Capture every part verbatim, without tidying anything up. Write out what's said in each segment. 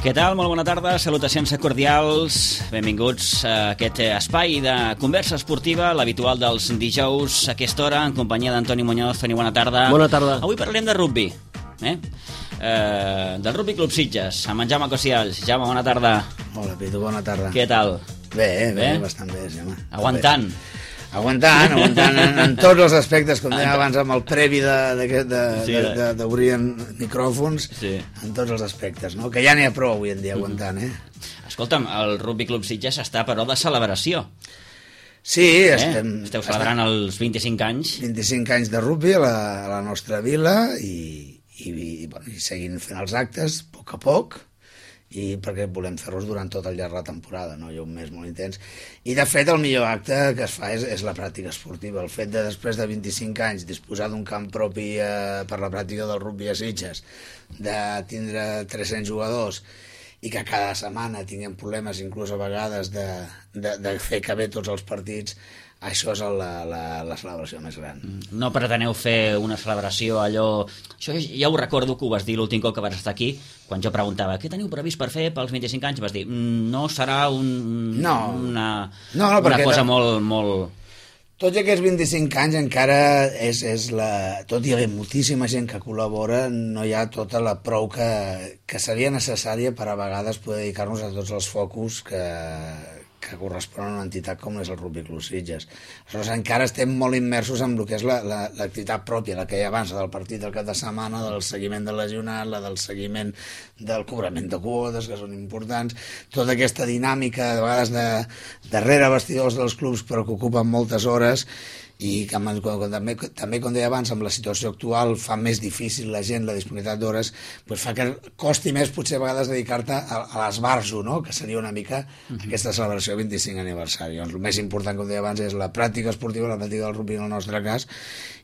Què tal? Molt bona tarda, salutacions cordials, benvinguts a aquest espai de conversa esportiva, l'habitual dels dijous a aquesta hora, en companyia d'Antoni Muñoz. Toni, bona tarda. Bona tarda. Avui parlarem de rugby, eh? Eh, del Rugby Club Sitges, amb en Jaume Cosials. Jaume, bona tarda. Hola, Pitu, bona tarda. Què tal? Bé, bé, Bé? bastant bé, sí, home. Aguantant. Bé. Aguantant, aguantant en, en tots els aspectes, com deia abans amb el previ d'obrir de, de, Sí, de, de- de, de, micròfons, Sí. en tots els aspectes, no? Que ja n'hi ha prou avui en dia aguantant, eh? Escolta'm, el Rugby Club Sitges està, però, de celebració. Sí, Eh? estem... Esteu celebrant els vint-i-cinc anys. vint-i-cinc anys de rugby a la, a la nostra vila i, i, i, bueno, i seguint fent els actes a poc a poc, i perquè volem fer-los durant tot el llarg de la temporada, no? Hi ha un mes molt intens. I de fet el millor acte que es fa és, és la pràctica esportiva. El fet de després de vint-i-cinc anys disposar d'un camp propi eh, per la pràctica del rugby a Sitges, de tindre tres-cents jugadors i que cada setmana tinguem problemes inclús a vegades de, de, de fer caber tots els partits, això és la, la, la celebració més gran. No preteneu fer una celebració allò... Això ja ho recordo que ho vas dir l'últim cop que vas estar aquí, quan jo preguntava què teniu previst per fer pels vint-i-cinc anys, vas dir "Mm, no serà un, No. una, No, no, una perquè cosa no- molt, molt... Tots aquests vint-i-cinc anys encara és, és la... Tot hi havia moltíssima gent que col·labora, no hi ha tota la prou que, que seria necessària per a vegades poder dedicar-nos a tots els focus que, que corresponen a una entitat com és el Rugby Club Sitges. Aleshores encara estem molt immersos en el que és la- la- l'activitat pròpia, la que hi ha abans, la del partit del cap de setmana, del seguiment del lesionat, la del seguiment del cobrament de quotes, que són importants, tota aquesta dinàmica, de vegades de, darrere vestidors dels clubs, però que ocupen moltes hores, i que, amb- quan, quan, també, també, com deia abans, amb la situació actual fa més difícil la gent la disponibilitat d'hores, doncs fa que costi més potser a vegades dedicar-te a, a l'esbarjo, no? Que seria una mica aquesta celebració del vint-i-cinc aniversari. Doncs el més important, com deia abans, és la pràctica esportiva, la pràctica del rugby en el nostre cas,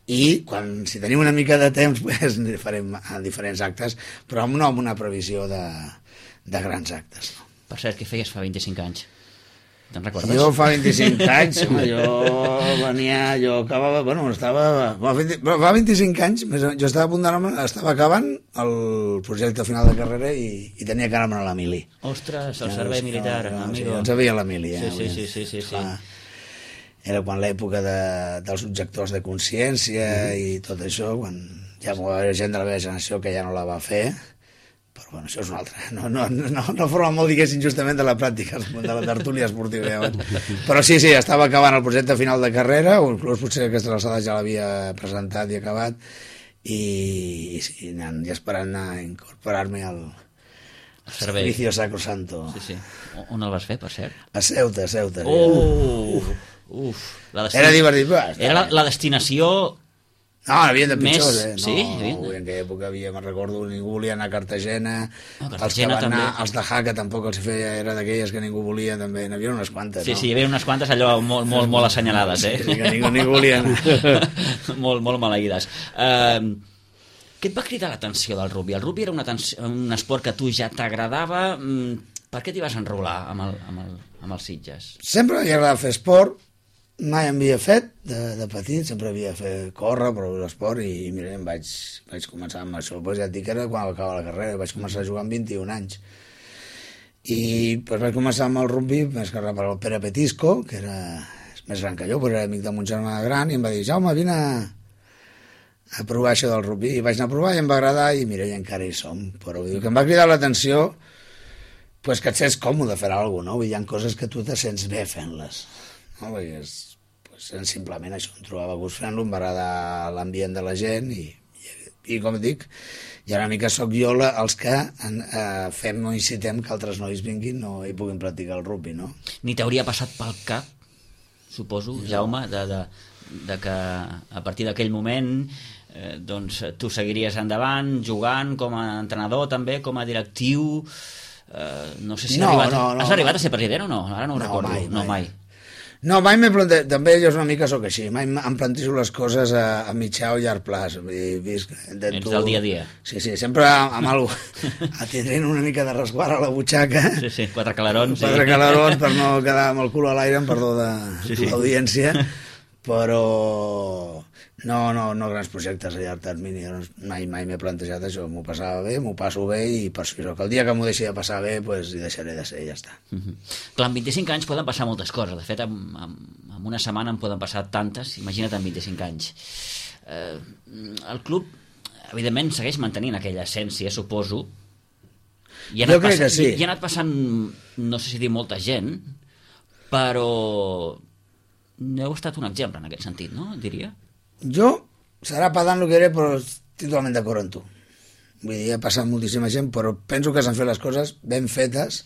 i quan, si tenim una mica de temps pues, farem a diferents actes, però amb, no amb una previsió de, de grans actes, no? Per cert, què feies fa vint-i-cinc anys? Te'n recordes? Jo fa vint-i-cinc anys, home, jo venia, jo acabava, bueno, estava, va, vint, fa vint-i-cinc anys, més o menys, jo estava a punt d'anar, estava acabant el projecte final de carrera i, i tenia que anar a la mili. Ostres, el servei militar, no, no, amigo. Sí, ens havia la mili, eh? Sí, sí, sí, sí, sí, sí. Fa, era quan l'època de, dels objectors de consciència i tot això, quan ja hi va haver gent de la meva generació que ja no la va fer, però bueno, això és una altra. No, no, no, no forma molt, diguéssim, justament de la pràctica, de la tertúlia esportiva. Ja. Però sí, sí, estava acabant el projecte final de carrera, o inclús potser aquesta alçada ja l'havia presentat i acabat, i, i sí, anant, i esperant a incorporar-me al servei. servicio sacrosanto. Sí, sí. On el vas fer, per cert? A Ceuta, a Ceuta. Oh! Uf! Uf. La Era divertit. Però, Era la, la destinació... No, n'havien de pitjors, Més- eh? No, sí, sí. no, en aquella època havia, me'n recordo, ningú volia anar a Cartagena, No, els que Cartagena van també. anar, els de Jaca tampoc els feia, era d'aquelles que ningú volia, també, n'hi havia unes quantes, Sí, no? sí, hi havia unes quantes allò molt, molt, molt assenyalades, eh? Sí, que ningú, ningú volia anar. molt, molt maleïdes. Uh, què et va cridar l'atenció del rugby? El rugby era una un esport que a tu ja t'agradava. Mm, per què t'hi vas enrolar amb el, amb el, amb els Sitges? Sempre m'havia agradat fer esport, mai en havia fet de, de petit, sempre havia fet córrer, però l'esport, i, i mira, em vaig, vaig començar amb això. Pues ja et dic que era quan va acabar la carrera, vaig començar a jugar amb vint-i-un anys. I pues, vaig començar amb el rugby, més que res per el Pere Petisco, que era és més gran que jo, però era amic de mon germà gran, i em va dir, Jaume, vine a, a provar això del rugby. I vaig anar a provar i em va agradar, i mira, i encara hi som. Però vull dir, que em va cridar l'atenció pues, que et sents còmode fer alguna cosa, no? Vull dir, hi ha coses que tu te sents bé fent-les. No? Vull dir, és, pues, simplement això, em trobava a gust fent-lo, em va agradar l'ambient de la gent, i, i, i com dic, i una mica sóc jo la, els que en, eh, fem o incitem que altres nois vinguin no, i puguin practicar el rugby, no? Ni t'hauria passat pel cap, suposo, Jaume, de, de, de que a partir d'aquell moment eh, doncs, tu seguiries endavant, jugant com a entrenador també, com a directiu... Eh, no sé si No, has, arribat, no, no, has arribat no. a ser president o no? Ara no ho No, recordo. mai, No, mai. mai. No, mai m'he plantejat, també jo una mica sóc així, mai em plantejo les coses a, a mitjà o llarg plaç. I visc, Ets del dia a dia. Sí, sí, sempre amb, amb algú, atendrent una mica de resguard a la butxaca, Sí, sí, quatre calarons. quatre sí. calarons per no quedar amb el cul a l'aire, amb perdó de Sí, sí. l'audiència, però no, no, no grans projectes a llarg termini. Mai, mai m'he plantejat això, m'ho passava bé, m'ho passo bé i per això que el dia que m'ho deixi de passar bé pues, hi deixaré de ser i ja està. Uh -huh. Clar, amb vint-i-cinc anys poden passar moltes coses. De fet, en, en una setmana en poden passar tantes, imagina't amb vint-i-cinc anys. Eh, el club, evidentment, segueix mantenint aquella essència, suposo. I ha jo crec passant, que sí. I, i ha anat passant, no sé si dir molta gent, però heu estat un exemple en aquest sentit, no? Diria. Jo, serà pedant el que diré, però estic totalment d'acord amb tu. Vull dir, ha passat moltíssima gent, però penso que s'han fet les coses ben fetes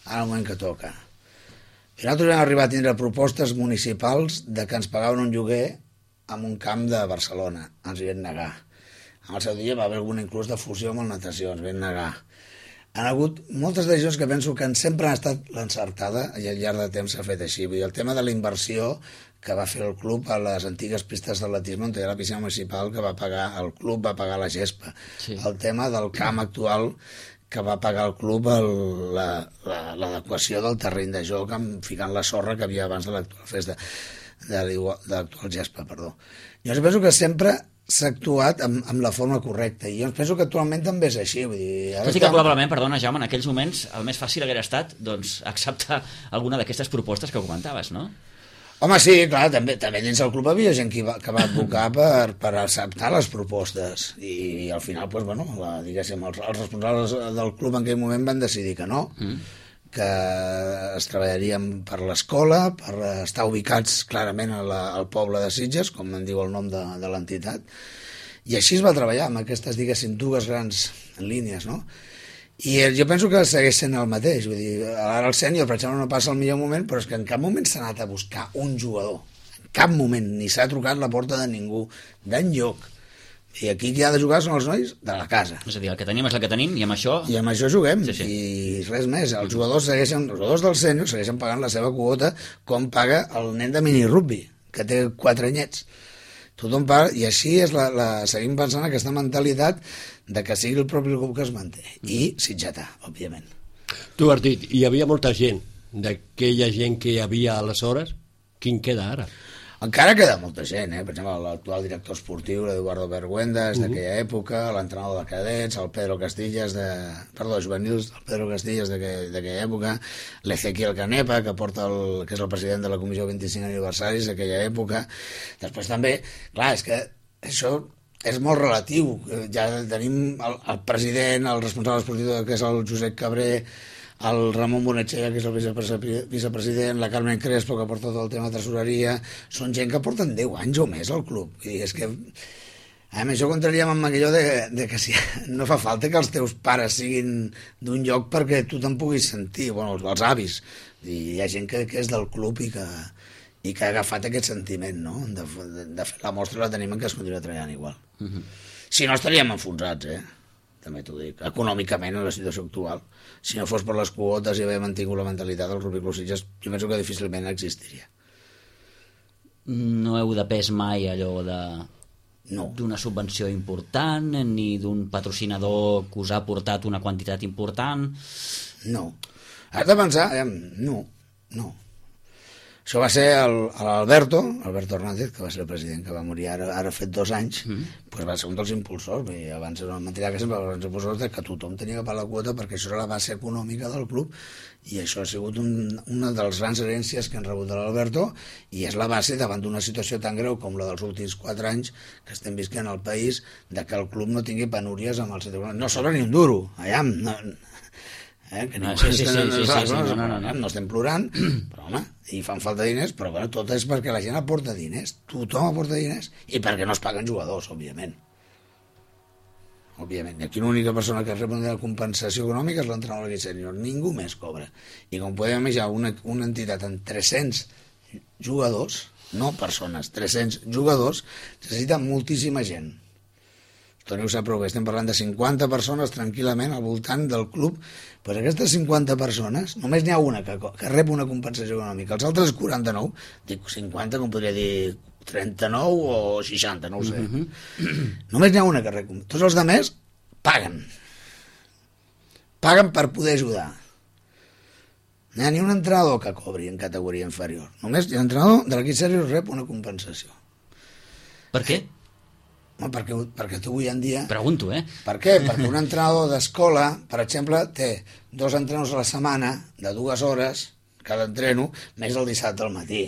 en el moment que toca. I nosaltres vam arribar a tindre propostes municipals de que ens pagaven un lloguer en un camp de Barcelona. Ens hi vam negar. En el seu dia va haver alguna inclús de fusió amb el natació, ens vam negar. Han hagut moltes decisions que penso que sempre han estat l'encertada i al llarg de temps s'ha fet així. Vull dir, el tema de la inversió que va fer el club a les antigues pistes d'atletisme on hi ha la piscina municipal que va pagar, el club va pagar la gespa. Sí. El tema del camp actual que va pagar el club l'adequació la, la, del terreny de joc amb, ficant la sorra que havia abans de l'actual festa, de l'actual gespa, perdó. Jo penso que sempre s'ha actuat amb, amb la forma correcta i jo penso que actualment també és així. Vull dir, tot i que probablement, perdona Jaume, en aquells moments el més fàcil haguera estat doncs, acceptar alguna d'aquestes propostes que comentaves, no? Home, sí, clar, també, també dins del club havia gent que va, que va advocar per, per acceptar les propostes i, i al final, pues, bueno, la, diguéssim, els, els responsables del club en aquell moment van decidir que no, mm. que es treballarien per l'escola, per estar ubicats clarament a la, al poble de Sitges, com en diu el nom de, de l'entitat, i així es va treballar amb aquestes, diguéssim, dues grans línies, no? I jo penso que segueix sent el mateix, vull dir, ara el sènior, per exemple, no passa el millor moment, però és que en cap moment s'ha anat a buscar un jugador, en cap moment, ni s'ha trucat la porta de ningú, d'enlloc. I aquí qui ha de jugar són els nois de la casa. És a dir, el que tenim és el que tenim i amb això... I amb això juguem, sí, sí. I res més. Els jugadors segueixen, els jugadors del sènior segueixen pagant la seva quota com paga el nen de mini-rugby, que té quatre anyets. Tothom paga, i així és la, la, seguim pensant aquesta mentalitat de que sigui el propi club que es manté. I sitgetà, òbviament. Tu has dit, hi havia molta gent, d'aquella gent que hi havia aleshores, quin queda ara? Encara queda molta gent, eh? Per exemple, l'actual director esportiu, l'Eduardo Bergüendas, uh -huh. d'aquella època, l'entrenador de cadets, el Pedro Castillas, de... perdó, de juvenils, el Pedro Castillas d'aquella època, l'Ezequiel Canepa, que porta el... que és el president de la Comissió vint-i-cinc aniversaris d'aquella època. Després també, clar, és que això és molt relatiu. Ja tenim el, el president, el responsable esportiu, que és el Josep Cabré, el Ramon Bonetxega, que és el vicepresident, la Carmen Crespo, que porta tot el tema de tresoreria, són gent que porten deu anys o més al club. I és que a més, això contraríem amb allò de, de que si, no fa falta que els teus pares siguin d'un lloc perquè tu te'n puguis sentir, bueno, els, els avis. I hi ha gent que, que és del club i que, i que ha agafat aquest sentiment, no? De, de, de fer la mostra la tenim en que es continua treballant igual. Uh -huh. Si no estaríem enfonsats, eh? També t'ho dic, econòmicament en la situació actual. Si no fos per les quotes i haver mantingut la mentalitat del Rugby Club Sitges, jo penso que difícilment existiria. No heu depès mai allò de no. d'una subvenció important ni d'un patrocinador que us ha portat una quantitat important? No. Has de pensar, eh, no, no. Això va ser l'Alberto, Alberto Hernández, que va ser el president, que va morir ara, ara fet dos anys, mm. pues va ser un dels impulsors, i abans era una mentida que sempre va ser impulsors de que tothom tenia que pagar la quota perquè això era la base econòmica del club, i això ha sigut un, una de les grans herències que han rebut de l'Alberto, i és la base davant d'una situació tan greu com la dels últims quatre anys que estem visquent al país, de que el club no tingui penúries amb el sector. No sobra ni un duro, allà, no... Eh, que no, sí, sí, sí, sí, sí, sí, no, no, no, no, no estem plorant, però home, i fan falta diners, però bueno, tot és perquè la gent aporta diners, tothom aporta diners, i perquè no es paguen jugadors, òbviament. Òbviament, i aquí l'única persona que rep una compensació econòmica és l'entrenador d'aquest sènior, ningú més cobra. I com podem imaginar, una, una entitat amb tres-cents jugadors, no persones, tres-cents jugadors, necessita moltíssima gent. Toni ho sap prou bé, estem parlant de cinquanta persones tranquil·lament al voltant del club, pues aquestes cinquanta persones, només n'hi ha una que, que rep una compensació econòmica, els altres quaranta-nou, dic cinquanta com podria dir trenta-nou o seixanta, no ho sé. Uh-huh. Només n'hi ha una que rep, tots els altres paguen. Paguen per poder ajudar. No hi ha ni un entrenador que cobri en categoria inferior. Només l'entrenador de l'equip sènior rep una compensació. Per què? No, perquè, perquè tu avui en dia... Pregunto, eh? Per què? Perquè un entrenador d'escola, per exemple, té dos entrenadors a la setmana de dues hores, cada entreno, més el dissabte al matí,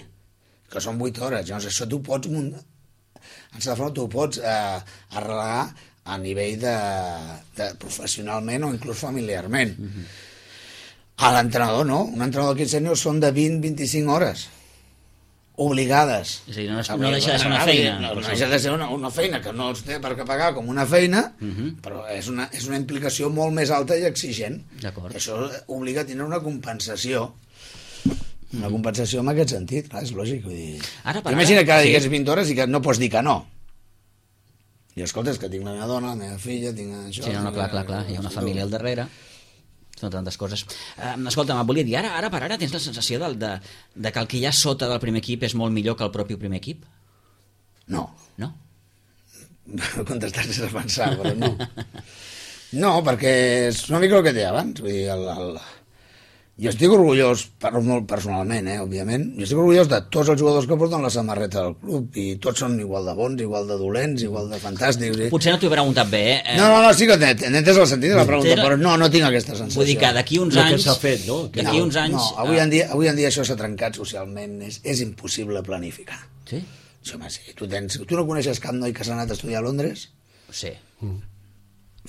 que són vuit hores. Llavors, això tu pots... En certa forma, tu ho pots eh, arrelar a nivell de, de professionalment o inclús familiarment. Mm-hmm. A l'entrenador no, un entrenador d'equip sènior són de vint a vint-i-cinc hores obligades. És a dir, no, és, no deixa de ser una feina. No, no deixa de ser una, una feina que no els té per què pagar com una feina, uh-huh. però és una, és una implicació molt més alta i exigent. D'acord. Això obliga a tenir una compensació. Una compensació en aquest sentit, clar, és lògic. Vull dir... Ara, per imagina ara, que ara sí. digués vint hores i que no pots dir que no. I escolta, és que tinc la meva dona, la meva filla, tinc això... Sí, no, no, clar, clar, clar, hi ha una família al darrere. Són tantes coses. Uh, escolta, em volia dir, ara, ara per ara tens la sensació de, de, de que el que hi ha sota del primer equip és molt millor que el propi primer equip? No. No? Contestar sense pensar, però no. No, perquè és una mica el que té abans. Vull dir, el, el... Jo estic orgullós, parlo molt personalment, eh, òbviament, jo estic orgullós de tots els jugadors que porten la samarreta del club i tots són igual de bons, igual de dolents, igual de fantàstics. I... Potser no t'ho he preguntat bé, eh? No, no, no, sí que t'he entès el sentit de la pregunta, però no, no tinc aquesta sensació. Vull dir que d'aquí uns el anys... que s'ha fet, no? D'aquí no, uns anys... No, avui en dia, avui en dia això s'ha trencat socialment, és, és impossible planificar. Sí? Això, home, sí. Tu, tens, tu no coneixes cap noi que s'ha anat a estudiar a Londres? Sí. Mm.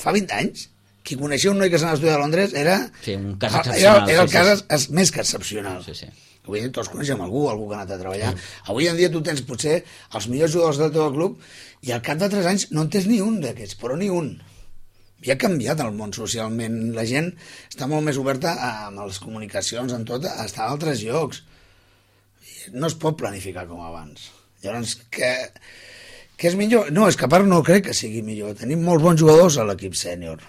Fa vint anys? Qui coneixia un noi que s'ha anat a estudiar a Londres era... Sí, un cas era, excepcional. Era el sí, cas sí. es, més que excepcional. Sí, sí. Avui en dia tots coneixem algú, algú que ha anat a treballar. Mm. Avui en dia tu tens potser els millors jugadors del teu club i al cap de tres anys no en tens ni un d'aquests, però ni un. I ha canviat el món socialment. La gent està molt més oberta amb les comunicacions, en tot, a estar a altres llocs. No es pot planificar com abans. Llavors, que, que és millor? No, és que a part no crec que sigui millor. Tenim molts bons jugadors a l'equip sènior.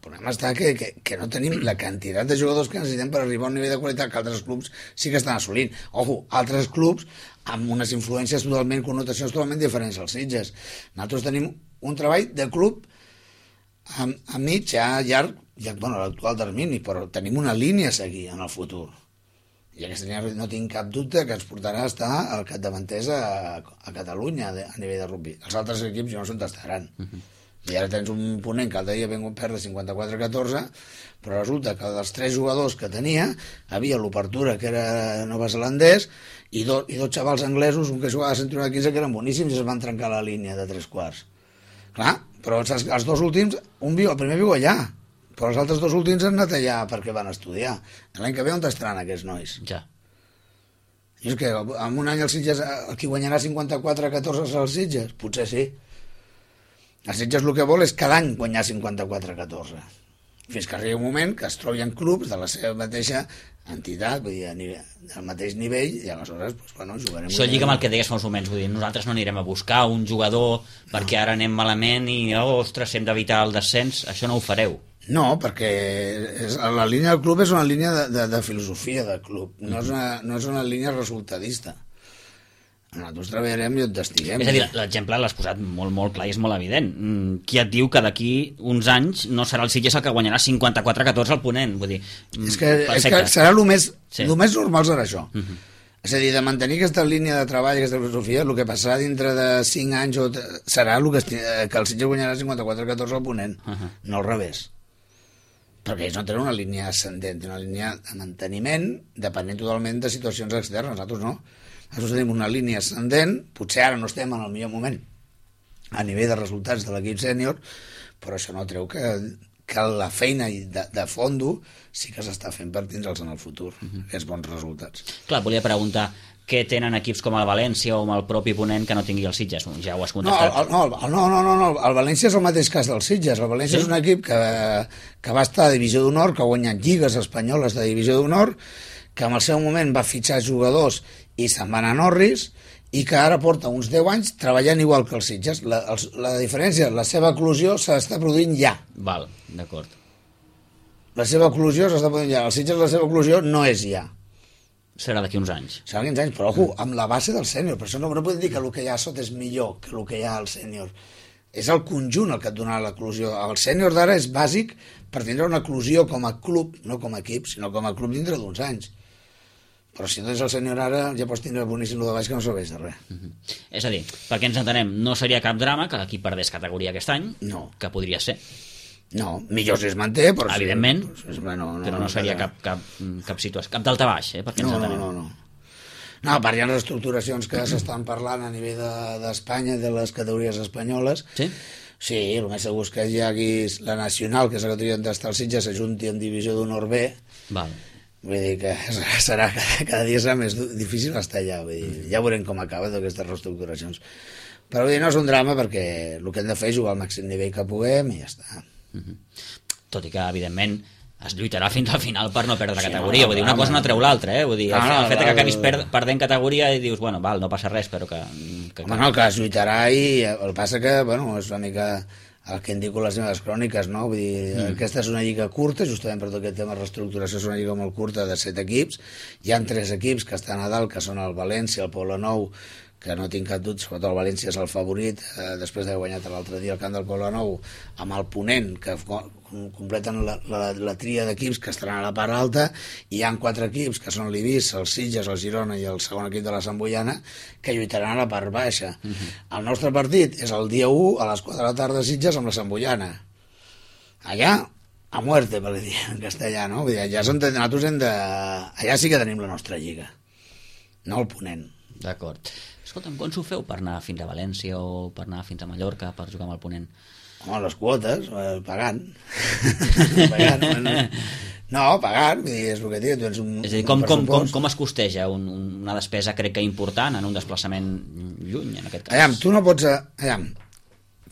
El problema està que, que, que no tenim la quantitat de jugadors que necessitem per arribar a un nivell de qualitat que altres clubs sí que estan assolint. Ojo, altres clubs amb unes influències totalment, connotacions totalment diferents als Sitges. Nosaltres tenim un treball de club a, a mig, a llarg, ja, bueno, a l'actual termini, però tenim una línia a seguir en el futur. I aquesta línia no tinc cap dubte que ens portarà a estar al capdavanters a, a Catalunya a, a nivell de rugby. Els altres equips jo no sé on estaran. Uh-huh. I ara tens un ponent que l'altre dia vam perdre cinquanta-quatre a catorze, però resulta que dels tres jugadors que tenia havia l'obertura que era neozelandès i, do, i dos xavals anglesos, un que jugava a centre de quinze que eren boníssims i es van trencar la línia de tres quarts. Clar, però els, els dos últims, un viu, el primer viu allà, però els altres dos últims han anat allà perquè van estudiar. L'any que ve on estaran aquests nois? Ja. I és que en un any els Sitges, el qui guanyarà cinquanta-quatre a catorze serà els Sitges? Potser sí. Els Sitges el que vol és cada any guanyar cinquanta-quatre a catorze. Fins que arribi un moment que es trobin clubs de la seva mateixa entitat, vull dir, a nivell, al mateix nivell, i aleshores, doncs, bueno, jugarem... Això lliga amb el que deies fa uns moments, vull dir, nosaltres no anirem a buscar un jugador perquè ara anem malament i, oh, ostres, hem d'evitar el descens, això no ho fareu. No, perquè és, la línia del club és una línia de, de, de filosofia del club, no, és una, no és una línia resultadista. Nosaltres treballarem i on estiguem. És a dir, l'exemple l'has posat molt, molt clar i és molt evident. Qui et diu que d'aquí uns anys no serà el Sitges el que guanyarà cinquanta-quatre a catorze al Ponent? Vull dir, és que, és que serà el més, sí. el més normal serà això. Uh -huh. És a dir, de mantenir aquesta línia de treball, aquesta filosofia, el que passarà dintre de cinc anys o serà el que, que el Sitges guanyarà cinquanta-quatre a catorze al Ponent, uh -huh. no al revés. Perquè ells no tenen una línia ascendent, tenen una línia de manteniment depenent totalment de situacions externes, nosaltres no. Nosaltres tenim una línia ascendent, potser ara no estem en el millor moment a nivell de resultats de l'equip sènior, però això no treu que, que la feina de, de fondo sí que s'està fent per tindre'ls en el futur, uh-huh. aquests bons resultats. Clar, volia preguntar, què tenen equips com el València o el propi Ponent que no tingui els Sitges? Ja ho has contestat. No, el, el, no, no, no, no, el València és el mateix cas dels Sitges. El València sí? és un equip que, que va estar a Divisió d'Honor, que ha guanyat lligues espanyoles de Divisió d'Honor, que en el seu moment va fitxar jugadors i se'n van a Norris, i que ara porta uns deu anys treballant igual que els Sitges. La, els, la diferència, la seva eclosió s'està produint ja. Val, d'acord. La seva eclosió s'està produint ja. Els Sitges, la seva eclosió no és ja. Serà d'aquí uns anys. Serà d'aquí uns anys, però ojo, amb la base del sènior. Per això no, no podem dir que el que hi ha a sota és millor que el que hi ha al sènior. és el conjunt el que et donarà l'eclusió. El sènior d'ara és bàsic per tindre una eclusió com a club, no com a equip, sinó com a club dintre d'uns anys. Però si tens el sènior ara, ja pots tindre boníssim el de baix que no serveix de res. Uh -huh. És a dir, perquè ens entenem, no seria cap drama que l'equip perdés categoria aquest any, no. Que podria ser. No, millor si es manté, però... Evidentment, sí, però no, no, però no seria cap, cap, cap situació, cap d'alta baix, eh, perquè ens no, entenem. No, no, no. No, a part hi ha reestructuracions que s'estan parlant a nivell d'Espanya, de, de les categories espanyoles. Sí? Sí, el més segur és que hi hagi la nacional, que és la categoria d'estar al Sitges, s'ajunti en divisió d'honor B. Val. Vull dir que serà, cada, cada dia serà més difícil estar allà. Vull dir, ja veurem com acaba d'aquestes reestructuracions. Però vull dir, no és un drama perquè el que hem de fer és jugar al màxim nivell que puguem i ja està. Uh -huh. Tot i que, evidentment, es lluitarà fins al final per no perdre sí, categoria. No, vull dir, una cosa no treu l'altra, eh? Vull dir, no, el, el fet no, que acabis per, perdent categoria i dius, bueno, val, no passa res, però que... que home, no, que es lluitarà i el que passa que, bueno, és una mica el que indico les meves cròniques, no? Vull dir, mm. aquesta és una lliga curta, justament per tot aquest tema de reestructuració, és una lliga molt curta de set equips. Hi ha tres equips que estan a dalt, que són el València, el Poblenou, que no tinc cap dubte, sobretot el València és el favorit, eh, després d'haver guanyat l'altre dia el camp del Poblenou, amb el Ponent, que completen la, la, la tria d'equips que estaran a la part alta, i hi ha quatre equips, que són l'Ibis, el Sitges, el Girona i el segon equip de la Santboiana, que lluitaran a la part baixa. Uh -huh. El nostre partit és el dia u a les quatre de la tarda a Sitges amb la Santboiana. Allà, a muerte, per dir en castellà, no? Vull dir, allà, són, nosaltres hem de... allà sí que tenim la nostra lliga, no el Ponent. D'acord. Escolta'm, com s'ho feu per anar fins a València o per anar fins a Mallorca per jugar amb el Ponent? Home, les quotes, eh, pagant. pagant. No, pagant, vull dir, és el que dic. Tens un, és a dir, com, com, com, com es costeja un, una despesa, crec que important, en un desplaçament lluny, en aquest cas? Aviam, tu no pots... Aviam,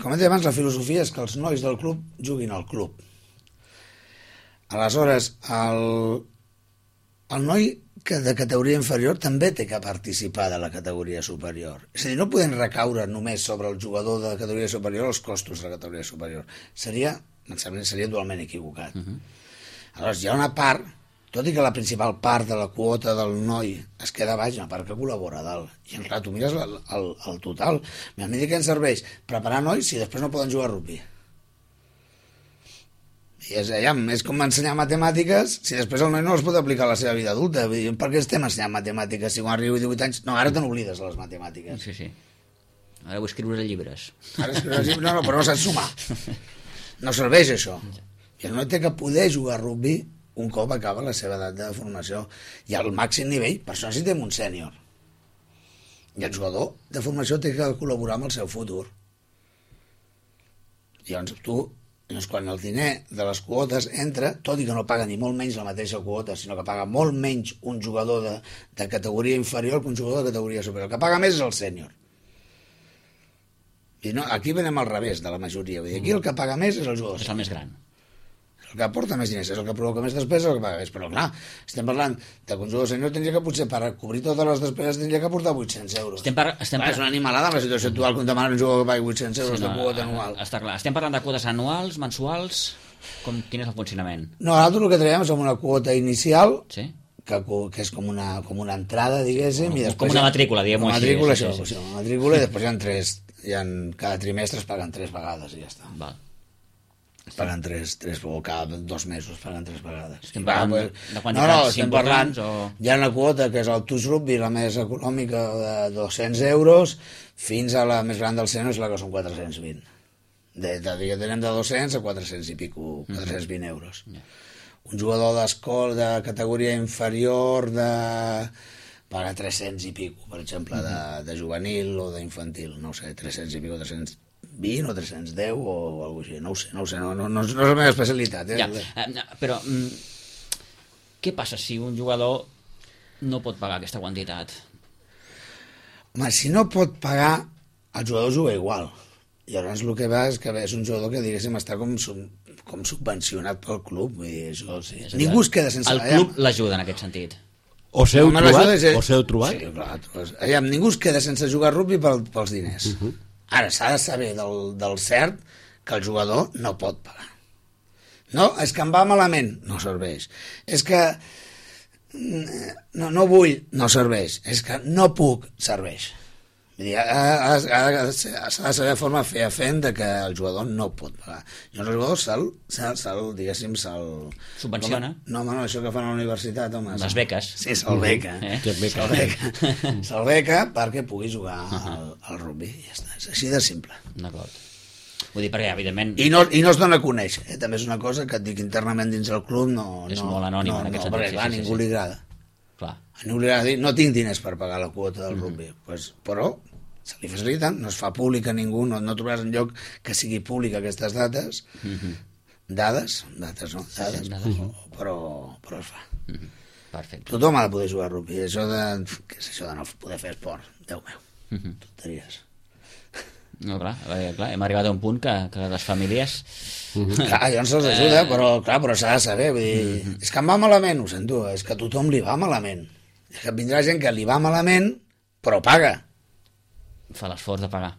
com he dit abans, la filosofia és que els nois del club juguin al club. Aleshores, el, el noi que de categoria inferior també té que participar de la categoria superior. És a dir, no podem recaure només sobre el jugador de la categoria superior els costos de la categoria superior. Seria, em sembla, seria dualment equivocat. Uh -huh. Aleshores, hi ha una part, tot i que la principal part de la quota del noi es queda baix, una part que col·labora a dalt. I, clar, tu mires el, el, el total. A mi què ens serveix? Preparar nois si després no poden jugar a rugby. I és, ja, és com ensenyar matemàtiques si després el noi no els pot aplicar a la seva vida adulta. Vull dir, per què estem ensenyant matemàtiques si quan arribo a divuit anys... No, ara te n'oblides de les matemàtiques. Sí, sí. Ara vull escriure llibres. Ara escriure llibres, no, no, però no saps sumar. No serveix això. I el noi té que poder jugar a rugby un cop acaba la seva edat de formació. I al màxim nivell, per això necessitem un sènior. I el jugador de formació té que col·laborar amb el seu futur. I llavors tu... Llavors, quan el diner de les quotes entra, tot i que no paga ni molt menys la mateixa quota, sinó que paga molt menys un jugador de, de categoria inferior que un jugador de categoria superior. El que paga més és el sènior. I no, aquí venem al revés de la majoria. Vull dir, aquí el que paga més és el jugador. És el més gran. El que aporta més diners, és el que provoca més despeses, el que paga més. Però clar, estem parlant de que un jugador sènior tindria que potser per cobrir totes les despeses tindria que aportar vuit-cents euros. Estem par estem clar, par és una animalada en la situació actual quan demanen un jugador que pagui vuit-cents euros sí, no, de quota anual. Està clar. Estem parlant de quotes anuals, mensuals... Com, quin és el funcionament? No, nosaltres el que traiem és una quota inicial, sí? que, que és com una, com una entrada, diguéssim, i després... Com una matrícula, diguem-ho així. Una matrícula, sí, això, sí, sí. sí. Una matrícula, i després hi ha tres... Hi ha, cada trimestre es paguen tres vegades i ja està. Val. Es paguen tres, tres, o cada dos mesos es paguen tres vegades. Estem parlant Va, pues, de quantitats no, no, estem parlant, o... hi ha una quota que és el Touch Rugby, la més econòmica, de dos-cents euros, fins a la més gran del sènior, és la que són quatre-cents vint. De, de, de, tenem de dos-cents a quatre-cents i pico, quatre-cents vint euros. Yeah. Un jugador d'escola de categoria inferior de... paga tres-cents i pico, per exemple, uh -huh. de, de juvenil o d'infantil, no sé, tres-cents i pico, tres-cents vint o tres-cents deu o alguna cosa així, no ho sé, no ho sé, no, no, no, no és la meva especialitat. Eh? Ja, però mm, què passa si un jugador no pot pagar aquesta quantitat? Home, si no pot pagar, el jugador juga igual. I llavors el que va és que és un jugador que, diguéssim, està com, com subvencionat pel club. Vull dir, això, sí. Ningú es queda sense... El club l'ajuda en aquest sentit. O s'heu trobat? És... O s'heu trobat? Sí, clar. Allà, ningú es queda sense jugar a rugby pel, pels diners. Uh -huh. Ara, s'ha de saber del, del cert que el jugador no pot pagar. No, és que em va malament, no serveix. És que no, no vull, no serveix. És que no puc, serveix. Vull dir, ha, ha, ha, s'ha de saber de forma fefaent de que el jugador no pot pagar. I el jugador se'l, se'l, se'l diguéssim, se'l... Subvenciona. No, home, no, això que fan a la universitat, home. Les beques. Sí, se'l beca. Eh? Se'l beca. Se'l beca perquè pugui jugar al, al rugby. Ja està, és així de simple. D'acord. Vull dir, perquè, evidentment... I no, i no es dona a conèixer. Eh? També és una cosa que et dic internament dins del club, no... És no, molt anònim no, en aquest no, sentit. perquè, clar, sí, sí, ningú sí. li agrada. Clar. A ningú li agrada dir, no tinc diners per pagar la quota del rugby. Mm -hmm. pues, però se li facilita, no es fa públic a ningú, no, no trobaràs enlloc que sigui públic aquestes dates, mm -hmm. dades, dates no, dades, sí, dades. Però, però es fa. Mm -hmm. Perfecte. Tothom ha de poder jugar a rugby, això de, què és això de no poder fer esport? Déu meu, mm -hmm. tonteries. No, clar, perquè, clar, hem arribat a un punt que, que les famílies... Mm -hmm. Clar, llavors se'ls ajuda, però, clar, però s'ha de saber, vull dir, mm -hmm. és que em va malament, ho sento, és que a tothom li va malament. És que vindrà gent que li va malament, però paga. Fa l'esforç de pagar.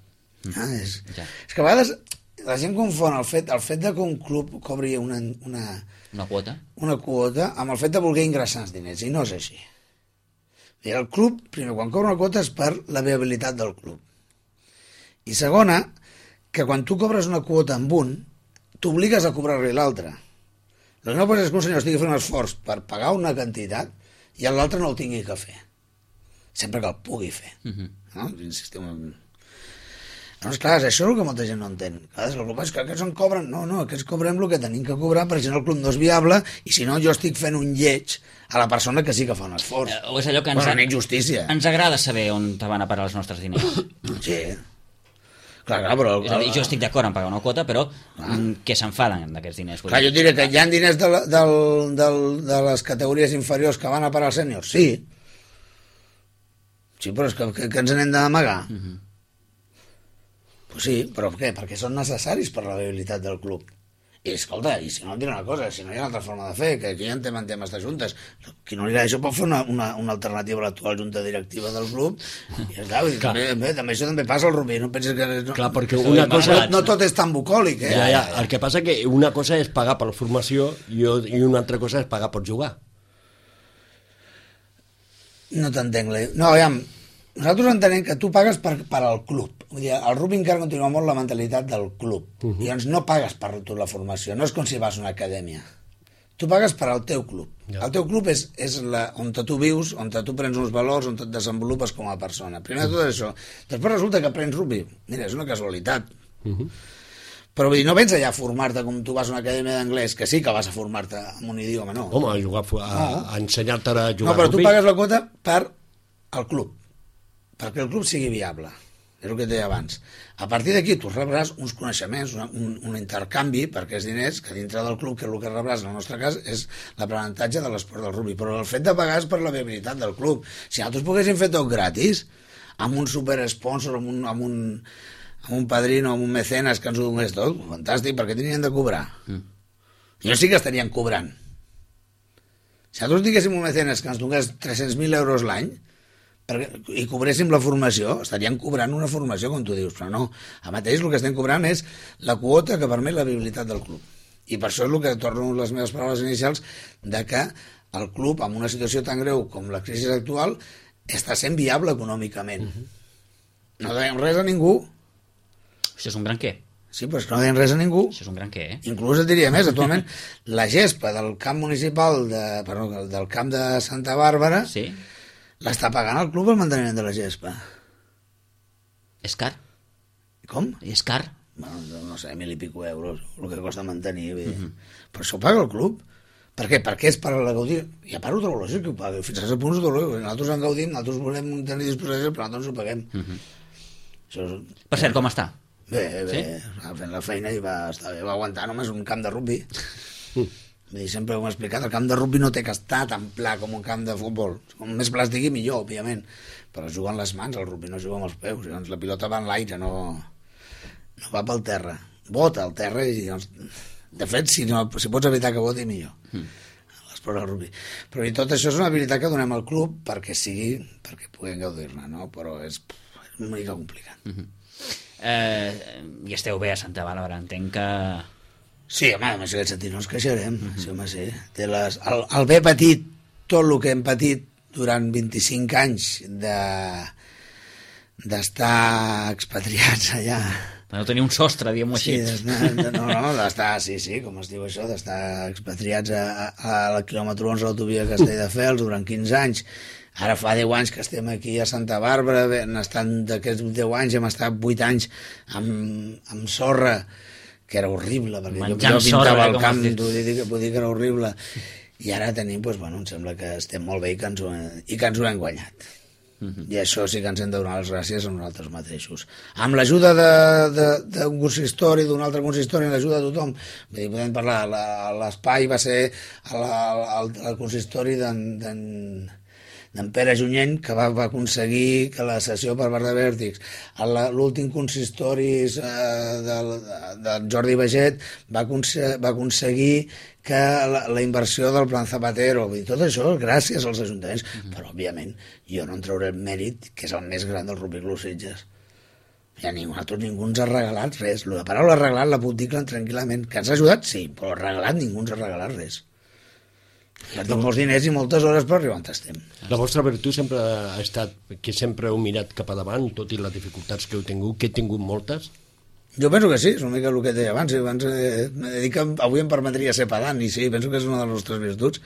Ah, és, ja. És que a vegades la gent confon el fet, el fet de que un club cobri una, una, una quota una quota amb el fet de voler ingressar els diners, i no és així. I el club, primer, quan cobra una quota és per la viabilitat del club. I segona, que quan tu cobres una quota amb un, t'obligues a cobrar-li l'altre. El que no pot ser que un senyor estigui fent un esforç per pagar una quantitat i l'altre no el tingui que fer. Sempre que el pugui fer. Uh -huh. No? Insistim en... Llavors, clar, això és el que molta gent no entén. Clar, el club és que aquests en cobren... No, no, aquests cobrem el que tenim que cobrar perquè si no el club no és viable i si no jo estic fent un lleig a la persona que sí que fa un esforç. Eh, o és allò que ens, bueno, en injustícia. Ens agrada saber on te van a parar els nostres diners. Sí. Clar, clar, però... És a dir, jo estic d'acord en pagar una quota, però ah. que s'enfaden d'aquests diners. Clar, jo et diré que hi ha diners de, la, del, del, de les categories inferiors que van a parar als sèniors, sí. Sí, però és que, que, que ens n'hem d'amagar. Uh -huh. Pues sí, però què? Perquè són necessaris per la viabilitat del club. I escolta, i si no, et diré una cosa, si no hi ha una altra forma de fer, que aquí ja en temen temes de juntes, qui no li agrada això pot fer una, una, una alternativa a l'actual junta directiva del club, i esclar, clar. També, bé, també això també passa al rugby, no penses que... No, clar, perquè una cosa... No, no tot és tan bucòlic, eh? Ja, ja, el que passa que una cosa és pagar per la formació i, i una altra cosa és pagar per jugar. No t'entenc. No, aviam, nosaltres entenem que tu pagues per, per al club. Vull dir, el rugby encara continua molt la mentalitat del club. Uh -huh. I doncs no pagues per tu la formació, no és com si vas a una acadèmia. Tu pagues per al teu club. Ja. El teu club és, és la, on tu vius, on tu prens uns valors, on et desenvolupes com a persona. Primer de tot això. Després resulta que aprens rugby. Mira, és una casualitat. Uh -huh. Però vull dir, no vens allà a formar-te com tu vas a una acadèmia d'anglès, que sí que vas a formar-te en un idioma, no. Home, a, jugar, a, no. a ensenyar-te a jugar no, però rugby. Tu pagues la quota per al club, perquè el club sigui viable. És el que et deia abans. A partir d'aquí tu rebràs uns coneixements, una, un, un intercanvi per aquests diners, que dintre del club, que el que rebràs en el nostre cas és l'aprenentatge de l'esport del rugby, però el fet de pagar és per la viabilitat del club. Si nosaltres poguéssim fer tot gratis, amb un superesponsor, amb un, amb un, amb un padrino, amb un mecenes que ens ho donés tot, fantàstic, perquè tenien de cobrar. Mm. Jo sí que estarien cobrant. Si nosaltres diguéssim un mecenes que ens donés tres-cents mil euros l'any, i cobréssim la formació, estaríem cobrant una formació, com tu dius, però no. A mateix el que estem cobrant és la quota que permet la viabilitat del club. I per això és el que torno les meves paraules inicials, de que el club, en una situació tan greu com la crisi actual, està sent viable econòmicament. Uh-huh. No deiem res a ningú. Això és un gran què. Sí, però és que no deien res a ningú. Això és un gran què, eh? Inclús et diria més, actualment, la gespa del camp municipal, de, perdó, del camp de Santa Bàrbara, sí, l'està pagant el club el manteniment de la gespa. És car? Com? És car? Bueno, no sé, mil i pico euros, el que costa mantenir. Uh -huh. Però això ho paga el club. Per què? Perquè és per la gaudir. I a part ho trobo lògic que ho pagui. Fins a cert punt ho trobo lògic. Nosaltres en gaudim, nosaltres volem tenir disposició, però nosaltres ho paguem. Uh -huh. Això és... Per cert, com està? Bé, bé. Sí? Fent la feina i va estar bé. Va aguantar només un camp de rugby. Uh. Vull dir, sempre ho hem explicat, el camp de rugby no té que estar tan pla com un camp de futbol. Com més pla estigui, millor, òbviament. Però es juga amb les mans, el rugby no es juga amb els peus. Llavors la pilota va en l'aire, no, no va pel terra. Bota al terra i, doncs, de fet, si, no, si pots evitar que voti, millor. Mm. L'esport del rugby. Però i tot això és una habilitat que donem al club perquè sigui, perquè puguem gaudir-ne, no? Però és, és una mica complicat. Mm -hmm. eh, I esteu bé a Santa Bàrbara, entenc que... Sí, home, en aquest sentit no ens queixarem. Mm -hmm. Sí, home, sí. Té les, el, el bé petit, tot el que hem patit durant vint-i-cinc anys de, d'estar expatriats allà. Per no tenir un sostre, diguem-ho així. Sí, no, no, no d'estar, sí, sí, com es diu això, d'estar expatriats a, a, a la quilòmetre onze de l'autovia Castelldefels durant quinze anys. Ara fa deu anys que estem aquí a Santa Bàrbara, han estat d'aquests deu anys, hem estat vuit anys amb, amb sorra, que era horrible, perquè Menjant jo, jo pintava sorra, el com camp, has dit. vull dir, vull dir que era horrible. I ara tenim, doncs, bueno, em sembla que estem molt bé i que ens ho, i que ens ho hem guanyat. Uh-huh. I això sí que ens hem de donar les gràcies a nosaltres mateixos. Amb l'ajuda d'un consistori, d'un altre consistori, amb l'ajuda de tothom, vull dir, podem parlar, l'espai va ser el consistori d'en d'en Pere Junyent, que va, va aconseguir que la sessió per part de Vèrtix, l'últim consistori eh, del, del Jordi Baget va, aconse va aconseguir que la, la inversió del Plan Zapatero, vull dir, tot això gràcies als ajuntaments, uh-huh. Però òbviament jo no en trauré el mèrit, que és el més gran del Rugby Club Sitges. Ja ningú, nosaltres ningú ens ha regalat res. La paraula regalat la puc dir tranquil·lament. Que ens ha ajudat, sí, però regalat ningú ens ha regalat res. Tenim molts diners i moltes hores per arribar on estem. La vostra virtut sempre ha estat que sempre heu mirat cap a davant, tot i les dificultats que heu tingut, que he tingut moltes? Jo penso que sí, és una mica el que et deia abans. abans eh, he dit que avui em permetria ser pedant, i sí, penso que és una de les nostres virtuts,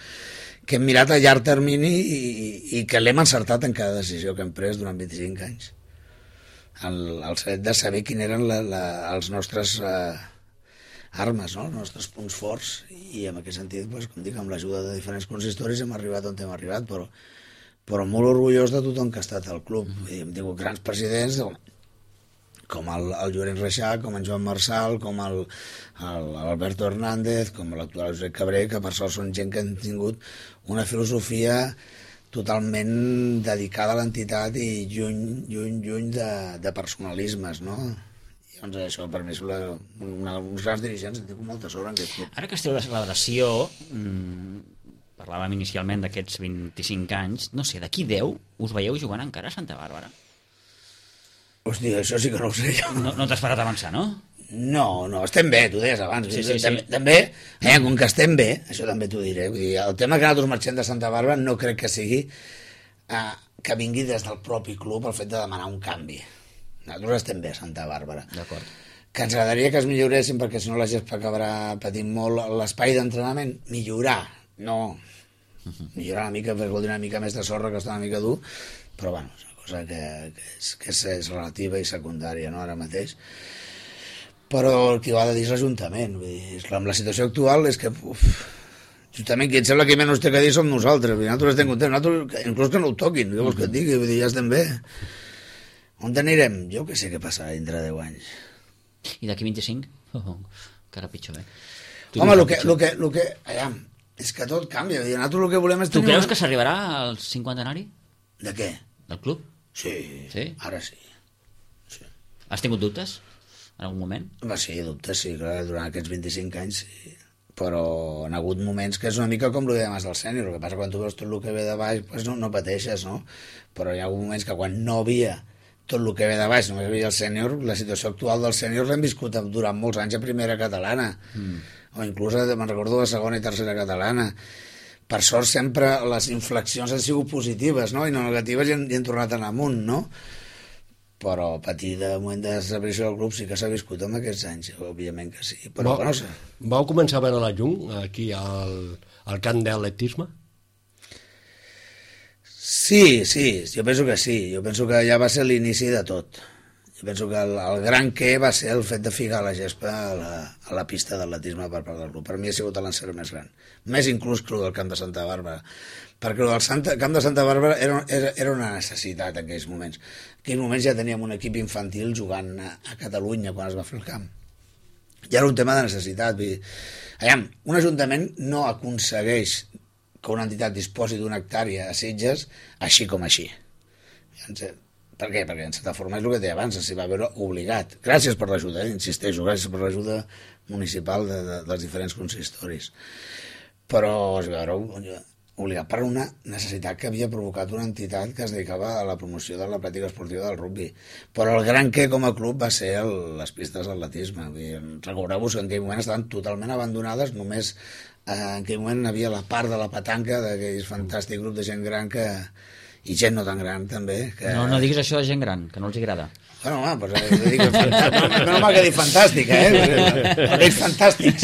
que hem mirat a llarg termini i, i, i que l'hem encertat en cada decisió que hem pres durant vint-i-cinc anys. El, el fet de saber quin eren la, la, els nostres... Eh, armes, no? Els nostres punts forts, i en aquest sentit, doncs, com dic, amb l'ajuda de diferents consistoris hem arribat on hem arribat, però, però molt orgullós de tothom que ha estat al club. Mm -hmm. Hem tingut grans presidents com el, el Llorenç Reixac, com en Joan Marçal, com el, el Alberto Hernández, com l'actual Josep Cabré, que per sort són gent que han tingut una filosofia totalment dedicada a l'entitat i lluny, lluny, lluny de, de personalismes, no? Doncs això, per mi, una, una, uns grans dirigents, en tinc molta sort en aquest club. Ara que esteu de celebració, mmm, parlàvem inicialment d'aquests vint-i-cinc anys, no sé, d'aquí deu us veieu jugant encara a Santa Bàrbara? Hòstia, això sí que no ho sé jo. No, no t'has parat a avançar, no? No, no, estem bé, t'ho deies abans. Sí, sí, també, sí. també eh, com que estem bé, això també t'ho diré, vull dir, el tema que nosaltres marxem de Santa Bàrbara no crec que sigui eh, que vingui des del propi club el fet de demanar un canvi. Nosaltres estem bé a Santa Bàrbara. D'acord. Que ens agradaria que es milloressin, perquè si no la gespa acabarà patint molt l'espai d'entrenament. Millorar, no. Uh-huh. Millorar una mica, perquè vol dir una mica més de sorra, que està una mica dur, però bueno, és una cosa que, que, és, que és, és relativa i secundària, no?, ara mateix. Però el que ho ha de dir és l'Ajuntament. Vull dir, amb la situació actual és que... Uf, justament qui et sembla que menys té que dir som nosaltres. Nosaltres estem contents, nosaltres, inclús que no ho toquin, què vols que et digui? Vull dir, ja estem bé. On anirem? Jo que sé què passarà dintre de deu anys. I d'aquí vint-i-cinc? Oh, encara pitjor, eh? Home, el que, lo que, lo que, allà, és que tot canvia. Nosaltres el que volem és tu tenir... creus una... que s'arribarà al cinquantenari? De què? Del club? Sí, sí? Ara sí. sí. Has tingut dubtes en algun moment? Va, sí, dubtes, sí, clar, durant aquests vint-i-cinc anys, sí. Però han hagut moments que és una mica com el de abans del sènior. El que passa quan tu veus tot el que ve de baix, doncs no, no pateixes, no? Però hi ha hagut moments que quan no havia tot el que ve de baix, només havia el sènior, la situació actual del sènior l'hem viscut durant molts anys a primera catalana, mm. o inclús, me'n recordo, a segona i tercera catalana. Per sort sempre les inflexions han sigut positives, no?, i no negatives, i han, i han tornat a anar amunt, no? Però patir de moment de desaparició del club sí que s'ha viscut en aquests anys, òbviament que sí. Però, Vau, no sé. Vau començar a veure la llum aquí al, al camp d'atletisme? Sí, sí, jo penso que sí. Jo penso que ja va ser l'inici de tot. Jo penso que el, el gran què va ser el fet de ficar la gespa a la, a la pista d'atletisme per part del club. Per mi ha sigut l'encert més gran. Més inclús que el del camp de Santa Bàrbara. Perquè el del Santa, camp de Santa Bàrbara era, era, era una necessitat en aquells moments. En aquells moments ja teníem un equip infantil jugant a, a Catalunya quan es va fer el camp. Ja era un tema de necessitat. Vull dir, aviam, un ajuntament no aconsegueix que una entitat disposi d'una hectàrea a Sitges així com així. Per què? Perquè en certa forma és el que deia abans, s'hi va veure obligat. Gràcies per l'ajuda, eh? Insisteixo, gràcies per l'ajuda municipal de, de, dels diferents consistoris. Però es va veure obligat per una necessitat que havia provocat una entitat que es dedicava a la promoció de la pràctica esportiva del rugby. Però el gran què com a club va ser el, les pistes d'atletisme. Recordeu-vos que en aquell moment estaven totalment abandonades, només eh, en aquell moment hi havia la part de la petanca d'aquell fantàstic grup de gent gran que i gent no tan gran també. Que... No, no diguis això de gent gran, que no els agrada. Bueno, home, doncs, eh, dic, no, no m'ha que dir fantàstica, eh? Aquells fantàstics.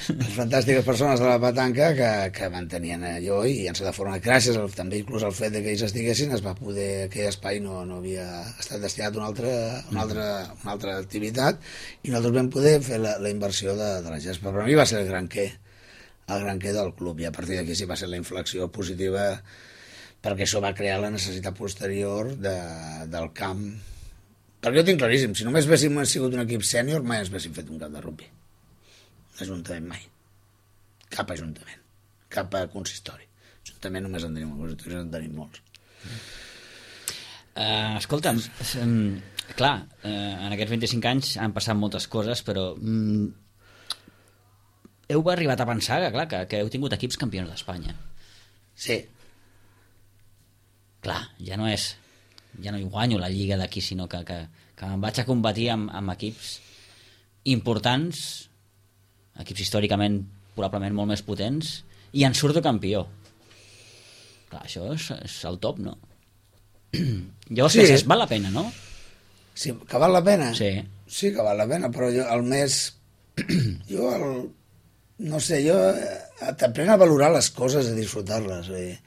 Les fantàstiques persones de la petanca que, que mantenien allò i ens de forma gràcies al, també inclús al fet de que ells estiguessin es va poder, aquell espai no, no havia estat destinat a una altra, una altra, una altra activitat i nosaltres vam poder fer la, la inversió de, de la gespa. Per a mi va ser el gran què, el gran què del club i a partir d'aquí sí va ser la inflexió positiva perquè això va crear la necessitat posterior de, del camp. Perquè jo tinc claríssim, si només haguéssim sigut un equip sènior, mai ens haguéssim fet un camp de rugby. Ajuntament mai. Cap ajuntament. Cap consistori. Ajuntament només en tenim molts, en tenim molts. Uh, escolta'm, um, clar, uh, en aquests vint-i-cinc anys han passat moltes coses, però um, heu arribat a pensar que, clar, que, que heu tingut equips campions d'Espanya. Sí. Clar, ja no és... ja no hi guanyo la lliga d'aquí, sinó que, que, que em vaig a competir amb, amb equips importants, equips històricament probablement molt més potents, i en surto campió. Clar, això és, és el top, no? Llavors, sí. Es val la pena, no? Sí, que val la pena? Sí. Sí que val la pena, però jo el més... jo, el... no sé, jo t'aprèn a valorar les coses, a disfrutar-les, vull dir.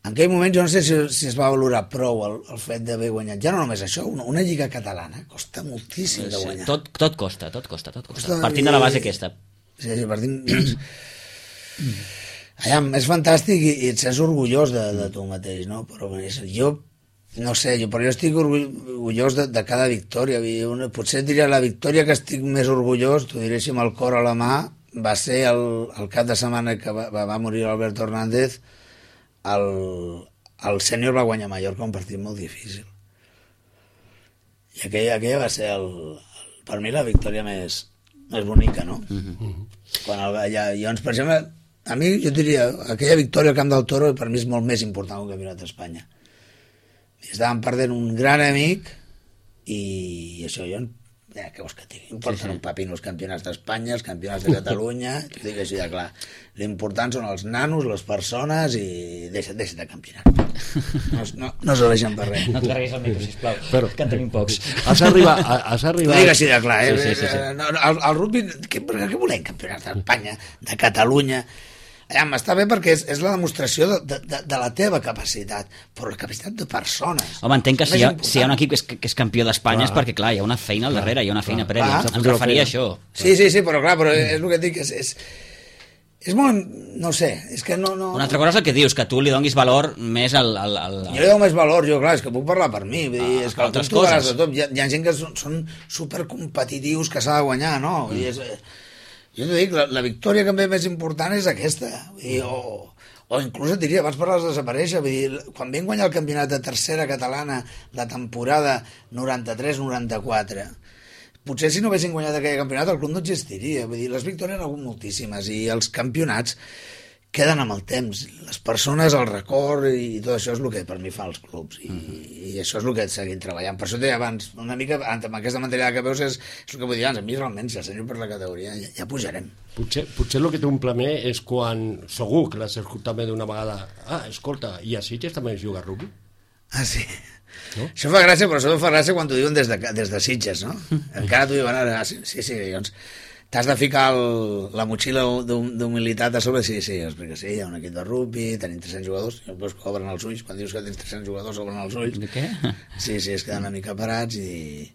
En aquell moment jo no sé si, si es va valorar prou el, el fet d'haver guanyat. Ja no només això, una, una lliga catalana costa moltíssim de guanyar. Tot, tot costa, tot costa, tot costa. costa partint de la base aquesta. Sí, sí, partint... Allà, és fantàstic i, i et sents orgullós de, de tu mateix, no? Però jo, no sé, jo, però jo estic orgullós de, de cada victòria. Una, potser diria la victòria que estic més orgullós, t'ho diré amb el cor a la mà, va ser el, el cap de setmana que va, va morir Alberto Hernández. El, el sènior va guanyar Mallorca un partit molt difícil i aquella, aquella va ser el, el, per mi la victòria més, més bonica, no? Uh-huh. Quan el, ja, llavors, per exemple, a mi jo diria aquella victòria al Camp del Toro per mi és molt més important que un campionat d'Espanya. Estàvem perdent un gran amic i això jo ja, què vols que digui? Importen sí, sí. un papino els campionats d'Espanya, els campionats de Catalunya, t'ho dic així de clar. L'important són els nanos, les persones i deixa't, deixa't de campionat. No, no, no s'ho deixen per res. No et carreguis el micro, sisplau, però, que en tenim pocs. Has arribat... Has arribat... T'ho dic així de clar, eh? Sí, sí, sí, sí. El, el rugby, què, què volem? Campionats d'Espanya, de Catalunya... Ja, està bé perquè és, és la demostració de, de, de la teva capacitat, però la capacitat de persones. Home, entenc que si hi, ha, si hi ha un equip que és, que és campió d'Espanya és perquè, clar, hi ha una feina al darrere, hi ha una feina prèvia. Em referia a això. Sí, sí, sí, però clar, però és el que et dic, és, és, és molt... no sé, és que no... no... Una altra cosa és el que dius, que tu li donis valor més al... al, al... Jo li dono més valor, jo, clar, és que puc parlar per mi, vull dir, és que altres coses. De tot. Hi, ha, hi ha gent que són, són supercompetitius que s'ha de guanyar, no? Vull dir, és... Jo t'ho dic, la, la victòria que em ve més important és aquesta. Vull dir, o, o inclús et diria, abans parlaves de desaparèixer, vull dir, quan vam guanyar el campionat de tercera catalana la temporada noranta-tres noranta-quatre, potser si no haguessin guanyat aquell campionat el club no existiria. Vull dir, les victòries han hagut moltíssimes i els campionats queden amb el temps. Les persones, el record i tot això és el que per mi fa els clubs i, i això és el que seguim treballant. Per això deia abans, una mica amb aquesta mentalitat que veus és, és el que vull dir abans, a mi realment si el senyor per la categoria ja, ja pujarem. Potser, potser el que t'omple més és quan segur que l'has escoltat també d'una vegada, ah, escolta, i a Sitges també es juga a rugby? Ah, sí. No? Això fa gràcia, però això fa gràcia quan t'ho diuen des de, des de Sitges, no? Encara t'ho diuen ara, sí, sí, sí, doncs t'has de ficar el, la motxilla d'humilitat a sobre, sí, sí, explica, sí, hi ha un equip de rugby, tenim tres-cents jugadors, llavors que obren els ulls, quan dius que tens tres-cents jugadors obren els ulls. De què? Sí, sí, es queden una mica parats i...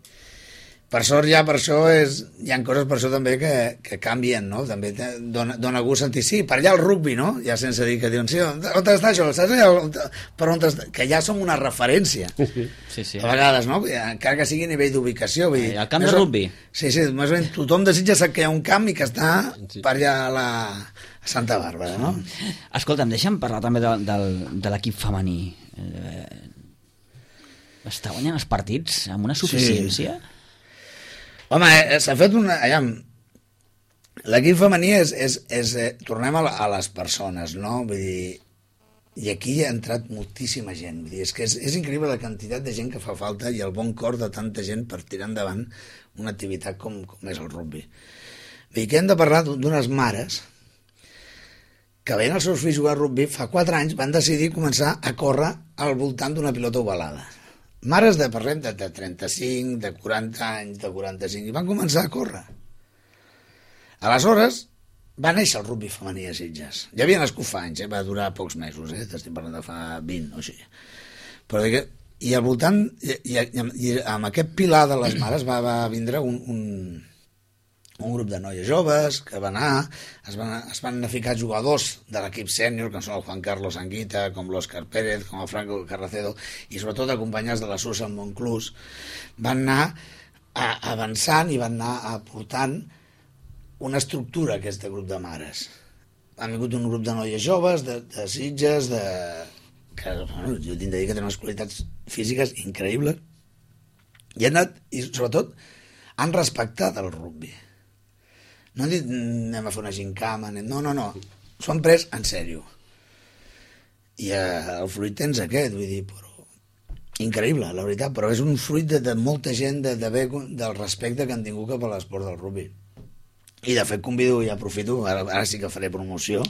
Per sort ja, per això és, hi ha coses per això també que, que canvien, no? També te, dona, dona gust sentir, sí, per allà el rugby, no? Ja sense dir que diuen, sí, on, on està això? Saps allà? On, per on està? Que ja som una referència. Sí, sí. A vegades, no? Encara que sigui a nivell d'ubicació. El camp de rugby. Sí, sí, més o menys tothom desitja sap que hi ha un camp i que està per allà a la a Santa Bàrbara, no? Escolta'm, deixa'm parlar també de, de, de l'equip femení. Eh, està guanyant els partits amb una suficiència? Sí. Home, eh, s'ha fet una... Allà, l'equip femení és... és, és eh, tornem a, a les persones, no? Vull dir, i aquí hi ha entrat moltíssima gent. Vull dir, és que és, és increïble la quantitat de gent que fa falta i el bon cor de tanta gent per tirar endavant una activitat com, com és el rugby. Vull dir, que hem de parlar d'unes mares que veien els seus fills jugar a rugby, fa quatre anys van decidir començar a córrer al voltant d'una pilota ovalada. Mares de, parlem, de, de trenta-cinc, de quaranta anys, de quaranta-cinc, i van començar a córrer. Aleshores, va néixer el rugby femení a Sitges. Ja havia nascut fa anys, eh? Va durar pocs mesos, eh? T'estic parlant de fa vint o així. Però que, i al voltant, i, i, i amb aquest pilar de les mares va, va vindre un... un un grup de noies joves que van anar, es van, es van ficar jugadors de l'equip sènior, que són el Juan Carlos Anguita, com l'Òscar Pérez, com el Franco Carracedo, i sobretot acompanyats de la Susan Monclús, van anar a, avançant i van anar aportant una estructura a aquest grup de mares. Han vingut un grup de noies joves, de, de Sitges, de... que bueno, jo tinc de dir que tenen unes qualitats físiques increïbles, i han anat, i sobretot, han respectat el rugby. No han dit anem a fer una gincama, anem... no, no, no, s'ho han pres en sèrio. I eh, el fruit tens aquest, vull dir, però... increïble, la veritat, però és un fruit de, de molta gent, de, de bé, del respecte que han tingut cap a l'esport del rugby. I de fet convido i aprofito, ara, ara sí que faré promoció,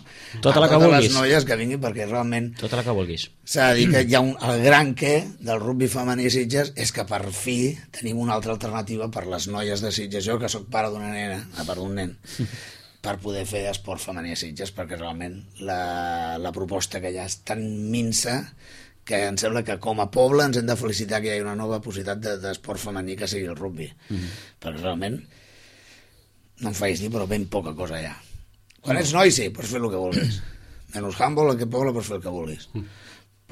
tota a la que totes vulguis. Les noies que vinguin, perquè realment tota la que vulguis. S'ha de dir que hi ha un, el gran què del rugby femení a Sitges és que per fi tenim una altra alternativa per les noies de Sitges, jo que sóc pare d'una nena, a part d'un nen, per poder fer esport femení a Sitges, perquè realment la, la proposta que hi ha és tan minsa que em sembla que com a poble ens hem de felicitar que hi hagi una nova possibilitat d'esport femení que sigui el rugby, mm-hmm. perquè realment no em facis dir, però ben poca cosa hi ha. Quan ets noi, sí, pots fer el que vulguis. Menys handball, en aquest poble pots fer el que vulguis.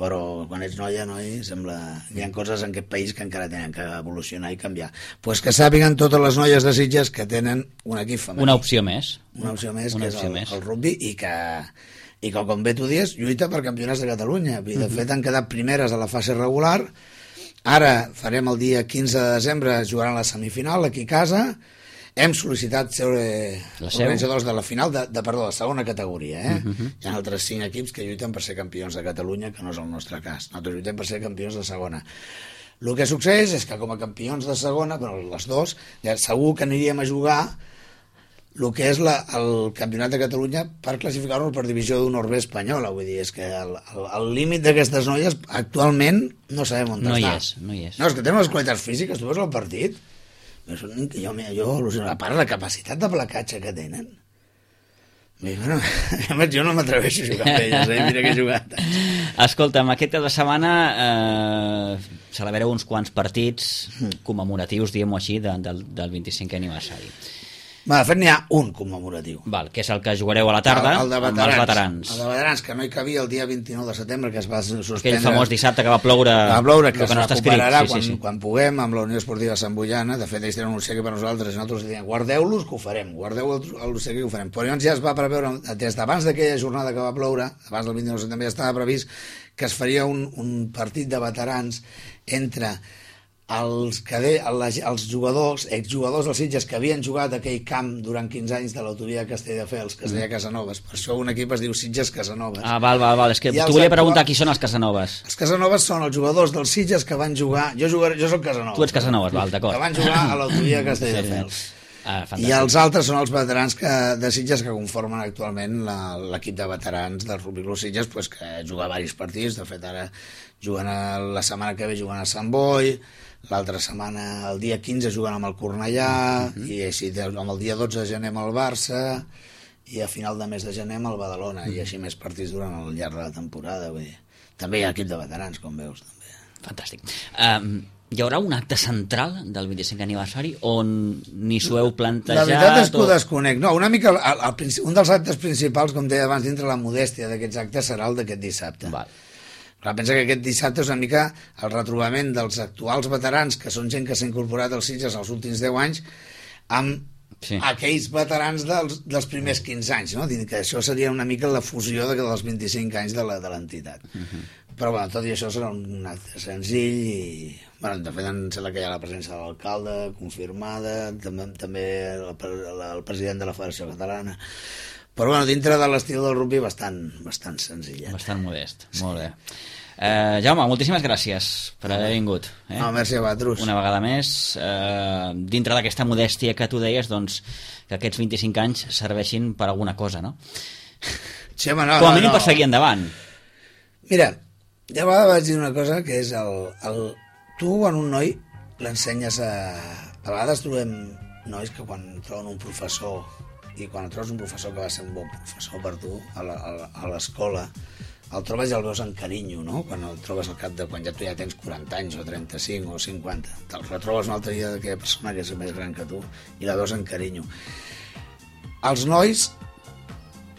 Però quan ets noia, noi, sembla que hi ha coses en aquest país que encara tenen que evolucionar i canviar. Doncs pues que sàpiguen totes les noies de Sitges que tenen un equip femení. Una opció més. Una opció més, una que opció és el, més. el rugby, i que, i que com bé tu dius, lluita per campionats de Catalunya. I de uh-huh. fet han quedat primeres a la fase regular. Ara farem el dia quinze de desembre, jugaran la semifinal aquí a casa. Hem sol·licitat ser organitzadors de la final de, de, perdó, de segona categoria. Eh? Uh-huh. Hi ha altres cinc equips que lluiten per ser campions de Catalunya, que no és el nostre cas. Nosaltres lluitem per ser campions de segona. El que succeeix és que com a campions de segona, però les dos, ja segur que aniríem a jugar el que és la, el campionat de Catalunya per classificar-nos per divisió d'honor B espanyola. Vull dir, és que el, el, el límit d'aquestes noies actualment no sabem on no està. Hi és, no hi és. No, és que tenen les qualitats físiques, tu veus el partit... Jo, jo al·lucino, a part de la capacitat de placatge que tenen, bueno, jo no m'atreveixo a jugar amb elles, eh? Mira que he jugat. Escolta'm, aquest cap de setmana eh, celebrareu uns quants partits commemoratius, diguem-ho així, de, del, del vint-i-cinquè aniversari. Va, de fet n'hi ha un commemoratiu. Val, que és el que jugareu a la tarda, el, el amb els veterans. El de veterans, que no hi cabia el dia vint-i-nou de setembre, que es va suspendre. Aquell famós dissabte que va ploure, va ploure que, que es no està escrit. recuperarà sí, quan, sí, sí. quan puguem, amb la Unió Esportiva Sant Boiana. De fet, ells tenen un obsequi per nosaltres, i nosaltres diem, guardeu-los, que ho farem, guardeu l'obsequi, que ho farem. Però llavors ja es va preveure, des d'abans d'aquella jornada que va ploure, abans del vint-i-nou de setembre, ja estava previst que es faria un, un partit de veterans entre els, cade, els jugadors, exjugadors dels Sitges que havien jugat a aquell camp durant quinze anys de l'autovia de Castelldefels, que es deia Casanovas. Per això un equip es diu Sitges Casanovas. Ah, val, val, val. És que t'ho volia preguntar qui són els Casanovas. Els Casanovas són els jugadors dels Sitges que van jugar... Jo, jugaré, jo soc Casanovas. Tu ets Casanovas, val, d'acord. Que van jugar a l'autovia de Castelldefels. Sí, sí. Ah, i els altres són els veterans que, de Sitges que conformen actualment l'equip de veterans del Rugby Club Sitges, pues, que juga diversos partits. De fet, ara juguen a, la setmana que ve juguen a Sant Boi, l'altra setmana, el dia quinze, juguen amb el Cornellà, uh-huh. i així amb el dia dotze de gener amb el Barça, i a final de mes de gener amb el Badalona, uh-huh. i així més partits durant el llarg de la temporada. Vull dir. També hi ha equip de veterans, com veus. També. Fantàstic. Um, hi haurà un acte central del vint-i-cinquè aniversari on ni s'ho heu plantejat? La veritat és que ho o... desconec. No, una mica, el, el, un dels actes principals, com deia abans, dintre la modèstia d'aquests actes, serà el d'aquest dissabte. Val. Clar, pensa que aquest dissabte és una mica el retrobament dels actuals veterans, que són gent que s'ha incorporat als Sitges els últims deu anys, amb sí. aquells veterans dels, dels primers quinze anys, no? Que això seria una mica la fusió de, dels vint-i-cinc anys de l'entitat. Uh-huh. Però bueno, tot i això serà un acte senzill i... Bueno, de fet, em sembla que hi ha la presència de l'alcalde confirmada, també, també el, el, el president de la Federació Catalana. Però bueno, dintre de l'estil del rugby bastant, bastant senzillet. Bastant modest, sí. Molt bé. Eh, Jaume, moltíssimes gràcies per haver vingut. Eh? No, merci a vosaltres. Una vegada més, eh, dintre d'aquesta modèstia que tu deies, doncs, que aquests vint-i-cinc anys serveixin per alguna cosa, no? Sí, home, no, com a no, mínim no. per seguir endavant. Mira, ja a vegades vaig dir una cosa que és el, el... Tu, quan un noi l'ensenyes a... A vegades trobem nois que quan troben un professor i quan trobes un professor que va ser un bon professor per tu a la- a la- a l'escola, el trobes i el veus amb carinyo, no? Quan el trobes al cap de quan ja tu ja tens quaranta anys o trenta-cinc o cinquanta. Te'l retrobes un altre dia d'aquella persona que és més gran que tu i la veus amb carinyo. Els nois,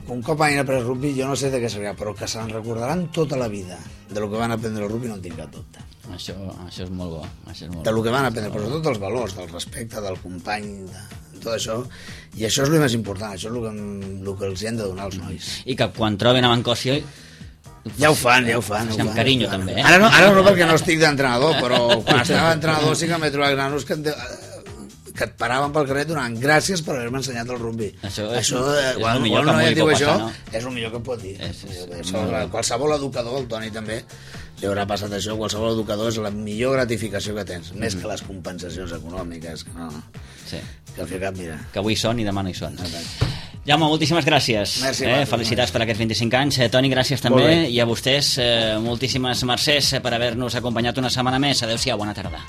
un cop hagin après rugby, jo no sé de què serà, però que se'n recordaran tota la vida de lo que van aprendre al rugby, no en tinc cap dubte. Això, això és molt bo. Això és molt De lo bo. que van aprendre, però sobretot dels valors, del respecte, del company, de tot això. I això és el més important, això és el que, el que els hi hem de donar als nois. I que quan troben a Mancòsia Ja ho fan, ja ho fan. Sí, ho amb fan, carinyo, ho fan. també, eh? Ara no, ara no perquè no estic d'entrenador, però quan estava d'entrenador sí que m'he trobat nanos que, em de- que et paraven pel carrer donant gràcies per haver-me ensenyat el rugby. Això és- això és eh, el quan, millor quan que un noi m'hi et diu pot això, passar, no? és el millor que et pot dir. És- és- Això, qualsevol educador, el Toni també, li haurà passat això, qualsevol educador és la millor gratificació que tens, més que les compensacions econòmiques, que no, Sí. que al fi cap, mira. Que avui són i demà no hi són. Jaume, moltíssimes gràcies. Merci, eh? Marc, Felicitats per aquests vint-i-cinc anys. Eh, Toni, gràcies Molt també. bé. I a vostès, eh, moltíssimes mercès per haver-nos acompanyat una setmana més. Adéu-siau, bona tarda.